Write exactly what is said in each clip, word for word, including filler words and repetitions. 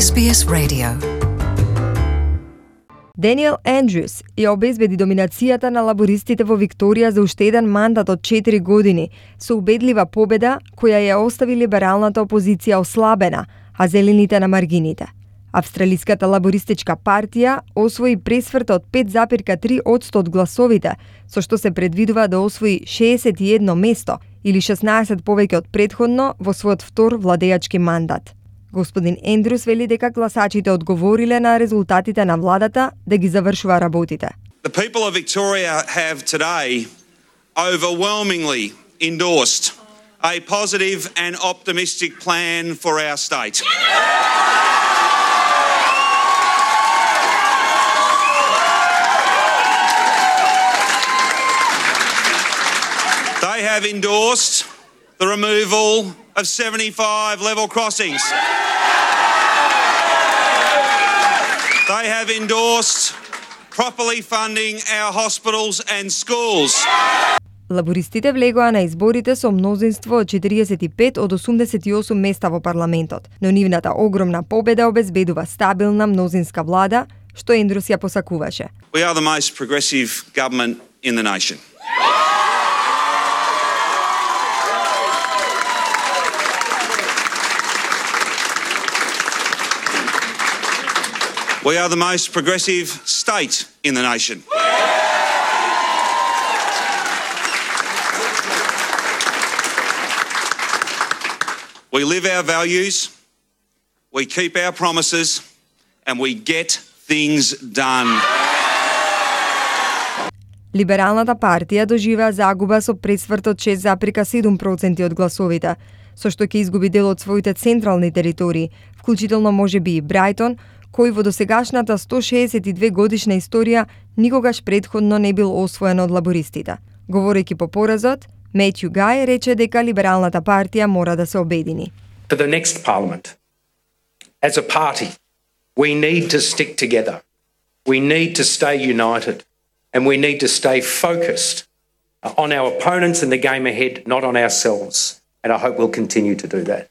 Ес Би Ес Radio. Даниел Ендрюс ја обезбеди доминацијата на лабористите во Викторија за уште еден мандат од четири години, со убедлива победа која ја остави либералната опозиција ослабена, а зелените на маргините. Австралиската лабористичка партија освои пресврт од пет запирка три одсто од гласовите, со што се предвидува да освои шеесет и едно место или шеснаесет повеќе од претходно во својот втор владеачки мандат. Господин Ендрюс вели дека гласачите одговориле на резултатите на владата да ги завршува работите. The people of Victoria have today overwhelmingly endorsed a positive and optimistic plan for our state. They have endorsed the removal of seventy-five level crossings. They have endorsed properly funding our hospitals and schools. Лабористите влегоа на изборите со мнозинство од четириесет и пет од осумдесет и осум места во парламентот, но нивната огромна победа обезбедува стабилна мнозинска влада, што Ендрюс ја посакуваше. We are the most progressive government in the nation. We are the most progressive state in the nation. We live our values, we keep our promises, and we get things done. Либералната партија доживеа загуба со пресврт од шест запирка седум проценти од гласовите, со што ќе изгуби дел од своите централни територии, вклучително можеби и Брајтон, кој во досегашната сто шеесет и две годишна историја никогаш претходно не бил освоен од лабористите. Говорејќи по поразот, Метју Гај рече дека либералната партија мора да се обедини. For the next parliament, as a party, we need to stick together. We need to stay united and we need to stay focused on our opponents in the game ahead, not on ourselves. And I hope we'll continue to do that.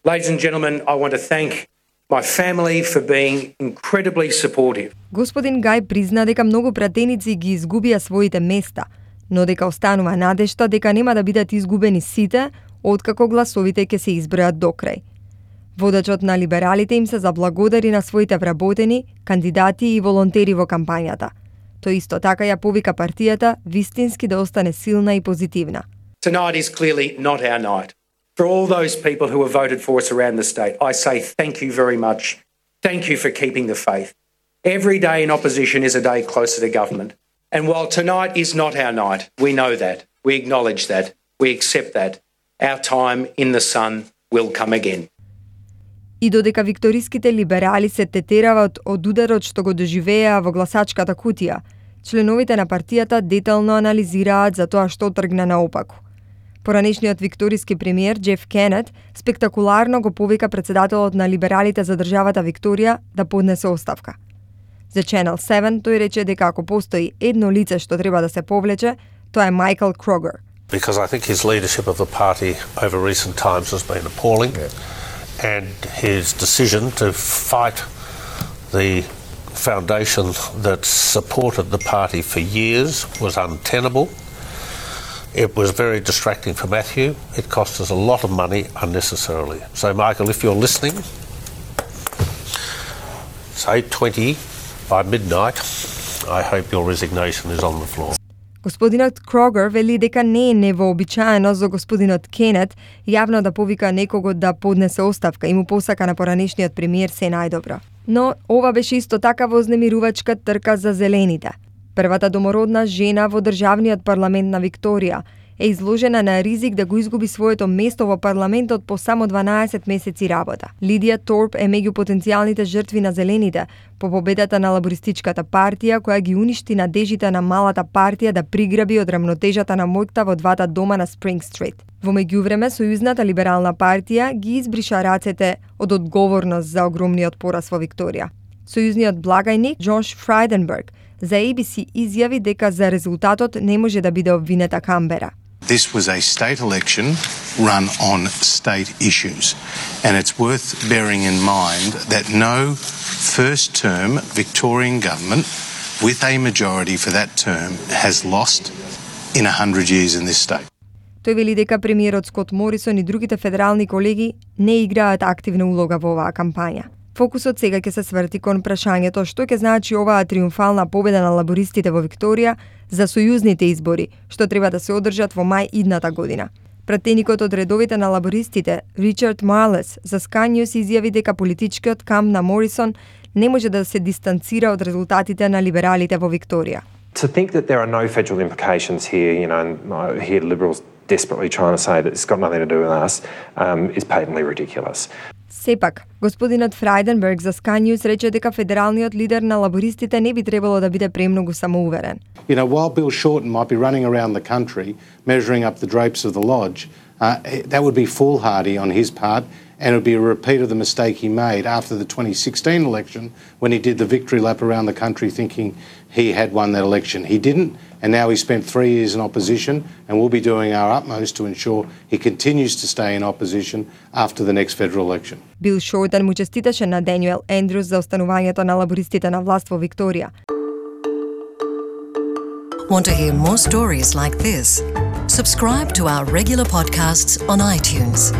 Ladies and gentlemen, I want to thank my family for being incredibly supportive. Господин Гај призна дека многу пратеници ги изгубија своите места, но дека останува надежта дека нема да бидат изгубени сите, откако гласовите ќе се избројат до крај. Водачот на либералите им се заблагодари на своите вработени, кандидати и волонтери во кампањата. Тој исто така ја повика партијата вистински да остане силна и позитивна. Tonight is clearly not our night. For all those people who have voted for us around the state, I say thank you very much. Thank you for keeping the faith. Every day in opposition is a day closer to government. And while tonight is not our night, we know that, we acknowledge that, we accept that. Our time in the sun will come again. И додека викториските либерали се тетерават од ударот што го доживеа во гласачката кутија, членовите на партијата детално анализираат за тоа што тргна наопаку. Поранешниот викториски премиер Джеф Кенет спектакуларно го повика председателот на либералите за државата Викторија да поднесе оставка. За Channel седум тој рече дека ако постои едно лице што треба да се повлече, тоа е Майкл Крогер. Because I think his leadership of the party over recent times has been appalling, yeah. And his decision to fight the foundation that supported the party for years was untenable. It was very distracting for Matthew. It cost us a lot of money unnecessarily. So, Michael, if you're listening, it's eight twenty by midnight. I hope your resignation is on the floor. Господинот Крогер вели дека не е невообичаено за господинот Кенет јавно да повика некого да поднесе оставка и му посака на поранешниот премиер се најдобро. Но ова беше исто така вознемирувачка трка за зелените. Првата домородна жена во државниот парламент на Викторија е изложена на ризик да го изгуби своето место во парламентот по само дванаесет месеци работа. Лидија Торп е меѓу потенцијалните жртви на зелените по победата на лабористичката партија која ги уништи надежите на малата партија да приграби од рамнотежата на моќта во двата дома на Спринг Стрит. Во меѓувреме, Сојузната либерална партија ги избриша рацете од одговорност за огромниот пораз во Викторија. Сојузниот благајник Джош Фрайденберг за A B C изјави дека за резултатот не може да биде обвинета Камбера. This was a state election run on state issues. And it's worth bearing in mind that no first-term Victorian government with a majority for that term has lost in a hundred years in this state. Тој вели дека премиерот Скот Морисон и другите федерални колеги не играат активна улога во оваа кампања. Фокусот сега ќе се сврти кон прашањето што ќе значи оваа триумфална победа на лабористите во Викторија за сојузните избори, што треба да се одржат во мај идната година. Пратеникот од редовите на лабористите, Ричард Марлес, за Sky News изјави дека политичкиот камп на Морисон не може да се дистанцира од резултатите на либералите во Викторија. To think that there are no federal implications here, you know, and I hear Liberals desperately trying to say that it's got nothing to do with us, um, is patently ridiculous. Сепак, господинот Фрајденберг за Sky News рече дека федералниот лидер на лабористите не би требало да биде премногу самоуверен. You know, while Bill Shorten might be running around the country measuring up the drapes of the lodge, uh, that would be foolhardy on his part, and it would be a repeat of the mistake he made after the twenty sixteen election when he did the victory lap around the country thinking he had won that election. He didn't, and now he spent three years in opposition, and we'll be doing our utmost to ensure he continues to stay in opposition after the next federal election. Бил Шортен му честиташе на Даниел Ендрюс за останувањето на лабористите на власт во Викторија. Want to hear more stories like this? Subscribe to our regular podcasts on iTunes.